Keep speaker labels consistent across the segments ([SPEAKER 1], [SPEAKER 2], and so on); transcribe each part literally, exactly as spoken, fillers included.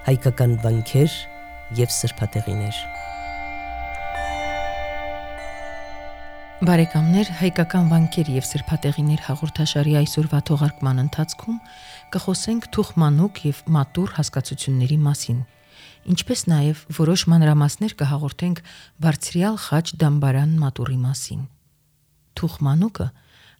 [SPEAKER 1] հայկական վանքեր և սրբատեղիներ։
[SPEAKER 2] Բարեկամներ, հայկական վանքեր և սրբատեղիներ հաղորդաշարի այսօրվա թողարկման ընթացքում կխոսենք թուխմանուկ և մատուռ հասկացությունների մասին, ինչպես նաև որոշ մանրամասներ կհաղորդենք բարձրյալ խաչ դամբարան մատուռի մասին։ Թուխմանուկը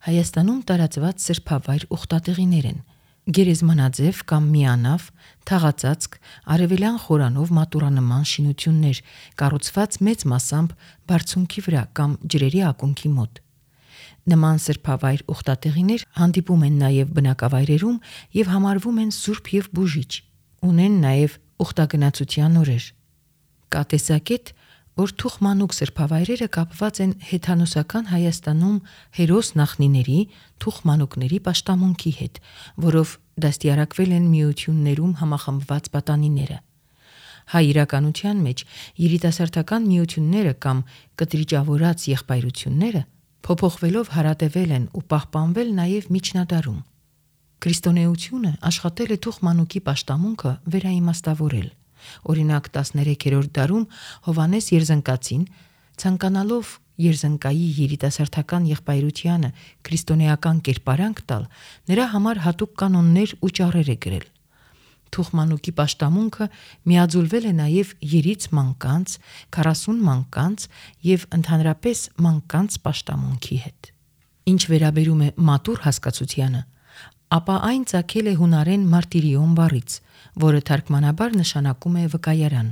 [SPEAKER 2] Հայաստանում տարածված սրբավայր ուխտատեղիներ են, գերեզմանաձև կամ միանավ, թաղածածկ, արևելյան խորանով մատուռանման շինություններ, կառուցված մեծ մասամբ բարձունքի վրա կամ ջրերի ակունքի մոտ։ Նման սրբավայր ուխտատեղիներ հանդիպում են նաև բնակավայրերում և համարվում են սուրբ և բուժիչ, ունեն նաև ուխտագնացության օրեր։ Կա տեսակետ, որ թուխմանուկ սրբավայրերը կապված են հեթանոսական Հայաստանում հերոս նախնիների թուխմանուկների պաշտամունքի հետ, որով դաստիարակվել են միություններում համախմբված պատանիները։ Հայ իրականության մեջ երիտասարդական միությունները կամ կտրիճավորած եղբայրությունները փոփոխվելով հարատևել են ու պահպանվել նաև միջնադարում։ Քրիստոնեությունը աշխատել է թուխմանուկի պաշտամունքը վերաիմաստավորել։ Օրինակ տասներեքերորդ դարում Հովհաննես Երզնկացին, ցանկանալով Երզնկայի երիտասարդական եղբայրությանը քրիստոնեական կերպարանք տալ, նրա համար հատուկ կանոններ ու ճառեր է գրել։ Թուխմանուկի պաշտամունքը միաձուլվել է նաև երից մանկանց, քառասուն մանկանց և ընդհանրապես մանկանց պաշտամունքի հետ։ Ինչ վերաբերում է մատուռ հասկացությանը, ապա այն ծագել է հունարեն մարտիրիոն բառից, որը թարգմանաբար նշանակում է վկայարան։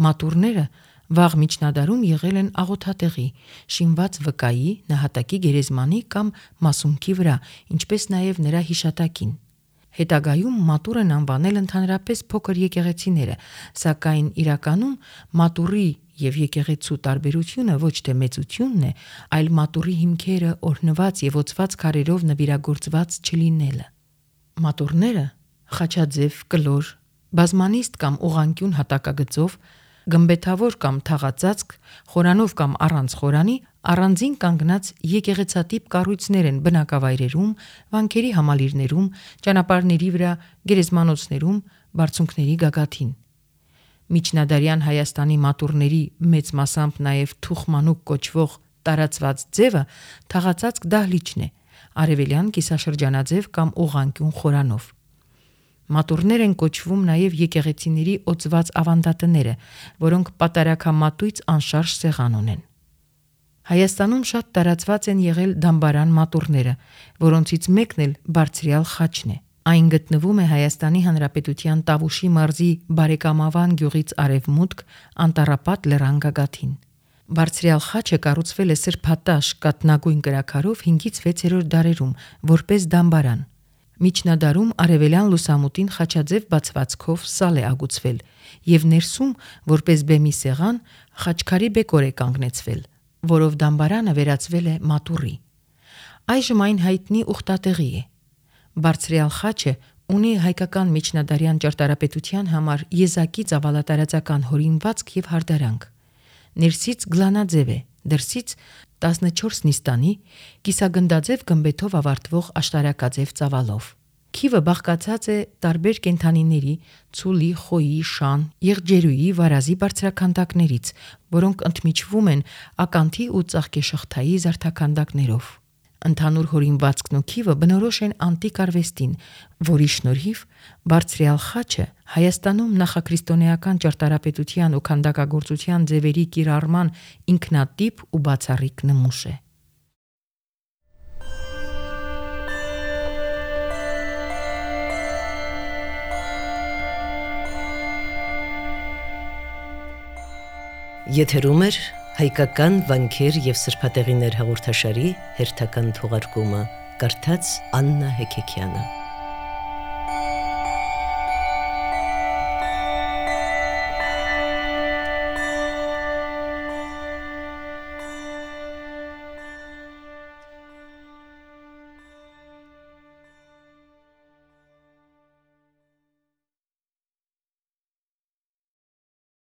[SPEAKER 2] Մատուռները վաղ միջնադարում եղել են աղոթատեղի, շինված վկայի, նահատակի գերեզմանի կամ մասունքի վրա, ինչպես նաև նրա հիշատակին։ Հետագայում մատուռ են անվանել ընդհանրապես փոքր եկեղեցիները, սակայն իրականում մատուռի և եկեղեցու տարբերությունը ոչ թե մեծությունն է, այլ մատուռի հիմքերը օրհնված և օծված քարերով նվիրագործված չլինելը։ Մատուռները խաչաձև, կլոր, բազմանիստ կամ ուղղանկյուն հատակագծով, գմբեթավոր կամ թաղածածկ, խորանով կամ առանց խորանի, առանձին կանգնած եկեղեցատիպ կառույցներ են բնակավայրերում, վանքերի համալիրներում, ճանապարհների վրա, գերեզմանոցներում, բարձունքների գագաթին։ Միջնադարյան Հայաստանի մատուռների, մեծ մասամբ նաև թուխմանուկ կոչվող տարածված ձևը թաղածածկ դահլիճն է, արևելյան կիսաշրջանաձև կամ ուղղանկյուն խորանով։ Մատուռներ են կոչվում նաև եկեղեցիների օծված ավանդատները, որոնք պատարագամատույց անշարժ սեղան ունեն։ Հայաստանում շատ տարածված են եղել դամբարան մատուռները, որոնցից մեկն էլ բարձրյալ խաչն է։ Այն գտնվում է Հայաստանի Հանրապետության Տավուշի մարզի Բարեկամավան գյուղից արևմուտք, Անտառապատ լեռան գագաթին։ Բարձրյալ խաչը կառուցվել է սրբատաշ կաթնագույն կրաքարով հինգից վեցերորդ դարերում, որպես դամբարան։ Միջնադարում արևելյան լուսամուտին խաչաձև բացվածքով սալ է ագուցվել և ներսում, որպես բեմի սեղան, խաչքարի բեկոր է կանգնեցվել, որով դամբարանը վերածվել է մատուռի։ Այժմ այն հայտնի ուխտատեղի է։ Բարձրյալ խաչը ունի հայկական միջնադարյան ճարտարապետության համար եզակի ծավալատարածական հորինվածք և հարդարանք։ Ներսից գլանաձև է, դրսից տասնչորս նիստանի, կիսագնդաձև գմբեթով ավարտվող աշտարակաձև ծավալով։ Քիվը բաղկացած է տարբեր կենդանիների՝ ցուլի, խոյի, շան, եղջերուի, վարազի բարձրաքանդակներից, որոնք ընդմիջվում են ականթի ու ծաղկեշղթայի զարդաքանդակներով։ Ընդհանուր հորինվածքն ու քիվը բնորոշ են անտիկ արվեստին, որի շնորհիվ բարձրյալ խաչը Հայաստանում նախաքրիստոնեական ճարտարապետության ու քանդակագործության ձևերի կիրառման ինքնատիպ ու բացառիկ նմուշ է։
[SPEAKER 1] Եթերում է հայկական վանքեր և սրբատեղիներ հաղորդաշարի հերթական թողարկումը, կարդաց Աննա Հեքեքյանը։